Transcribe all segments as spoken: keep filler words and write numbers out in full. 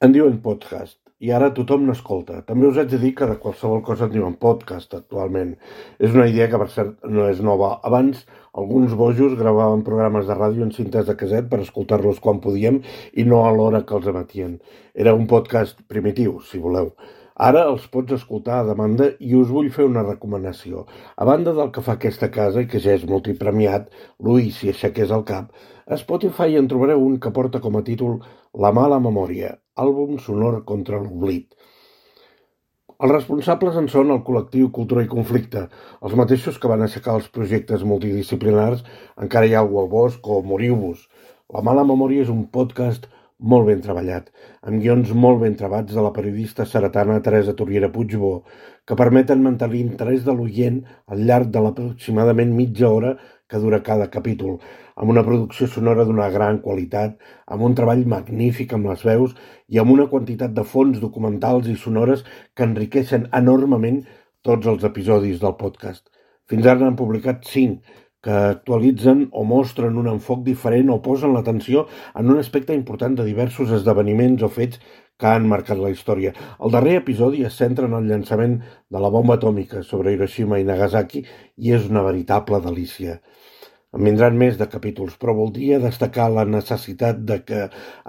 En diuen podcast, i ara tothom n'escolta. També us haig de dir que de qualsevol cosa en diuen podcast actualment. És una idea que, per cert, no és nova. Abans, alguns bojos gravaven programes de ràdio en cintes de caset per escoltar-los quan podíem i no a l'hora que els emetien. Era un podcast primitiu, si voleu. Ara els pots escoltar a demanda i us vull fer una recomanació. A banda del que fa aquesta casa, i que ja és multipremiat, l'Ui si aixequés el cap, a Spotify en trobareu un que porta com a títol La mala memòria, àlbum sonor contra l'oblit. Els responsables en són el col·lectiu Cultura i Conflicte, els mateixos que van aixecar els projectes multidisciplinars Encara hi ha algú al bosc o Moriu-vos. La mala memòria és un podcast molt ben treballat, amb guions molt ben trebats de la periodista seretana Teresa Turriera Puigbó, que permeten mantenir l'interès de l'oient al llarg de l'aproximadament mitja hora que dura cada capítol, amb una producció sonora d'una gran qualitat, amb un treball magnífic amb les veus i amb una quantitat de fons documentals i sonores que enriqueixen enormement tots els episodis del podcast. Fins ara n'han publicat cinc, que actualitzen o mostren un enfoc diferent o posen l'atenció en un aspecte important de diversos esdeveniments o fets que han marcat la història. El darrer episodi es centra en el llançament de la bomba atòmica sobre Hiroshima i Nagasaki i és una veritable delícia. En vindran més de capítols, però voldria destacar la necessitat de que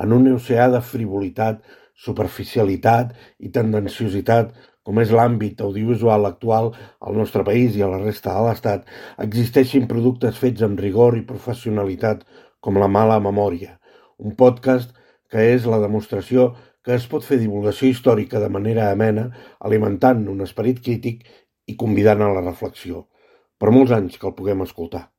en un oceà de frivolitat, superficialitat i tendenciositat, com és l'àmbit audiovisual actual al nostre país i a la resta de l'Estat, existeixin productes fets amb rigor i professionalitat com La mala memòria, un podcast que és la demostració que es pot fer divulgació històrica de manera amena, alimentant un esperit crític i convidant a la reflexió. Per molts anys que el puguem escoltar.